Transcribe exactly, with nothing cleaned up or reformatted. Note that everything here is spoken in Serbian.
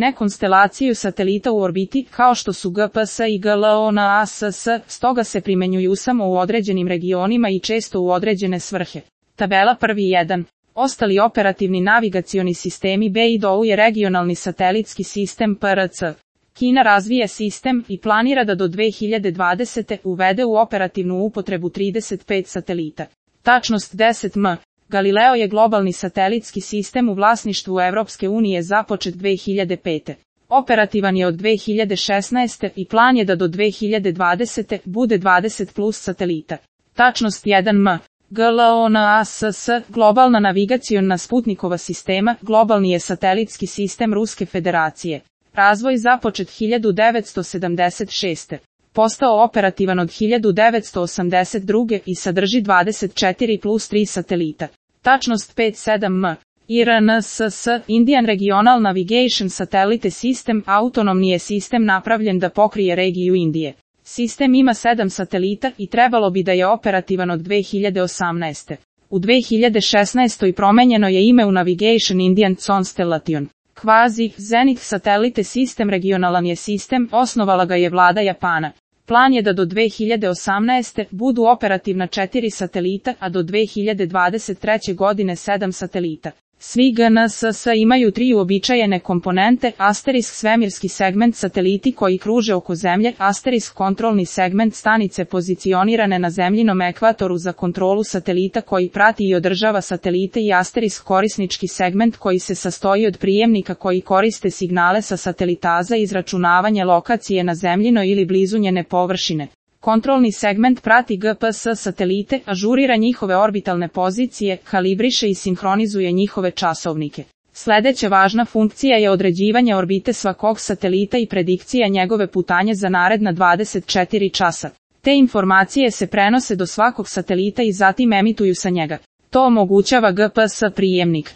ne konstelaciju satelita u orbiti, kao što su G P S i GLONASS, stoga se primenjuju samo u određenim regionima i često u određene svrhe. Tabela prvi jedan. Ostali operativni navigacioni sistemi B I D O U je regionalni satelitski sistem P R C. Kina razvija sistem i planira da do dve hiljade dvadesete. uvede u operativnu upotrebu trideset pet satelita. Tačnost deset M. Galileo je globalni satelitski sistem u vlasništvu Evropske unije započet dve hiljade pete. Operativan je od dve hiljade šesnaeste. i plan je da do dve hiljade dvadesete. bude dvadeset plus satelita. Tačnost jedan M. GLONASS, globalna navigaciona Sputnikova sistema, globalni je satelitski sistem Ruske federacije. Razvoj započet hiljadu devetsto sedamdeset šeste. Postao operativan od hiljadu devetsto osamdeset druge. i sadrži dvadeset četiri plus tri satelita. Tačnost pet sedam M. I R N S S, Indian Regional Navigation Satellite System, autonomni je sistem napravljen da pokrije regiju Indije. Sistem ima sedam satelita i trebalo bi da je operativan od dve hiljade osamnaeste. U dve hiljade šesnaestoj promenjeno je ime u Navigation Indian Constellation. Kvazi, Zenith Satellite System regionalan je sistem, osnovala ga je vlada Japana. Plan je da do dve hiljade osamnaeste. budu operativna četiri satelita, a do dve hiljade dvadeset treće. godine sedam satelita. Svi G N S S imaju tri uobičajene komponente, asterisk svemirski segment sateliti koji kruže oko Zemlje, asterisk kontrolni segment stanice pozicionirane na zemljinom ekvatoru za kontrolu satelita koji prati i održava satelite i asterisk korisnički segment koji se sastoji od prijemnika koji koriste signale sa satelita za izračunavanje lokacije na zemljinoj ili blizu njene površine. Kontrolni segment prati G P S satelite, ažurira njihove orbitalne pozicije, kalibriše i sinhronizuje njihove časovnike. Sledeća važna funkcija je određivanje orbite svakog satelita i predikcija njegove putanje za naredna dvadeset četiri časa. Te informacije se prenose do svakog satelita i zatim emituju sa njega. To omogućava G P S prijemnik.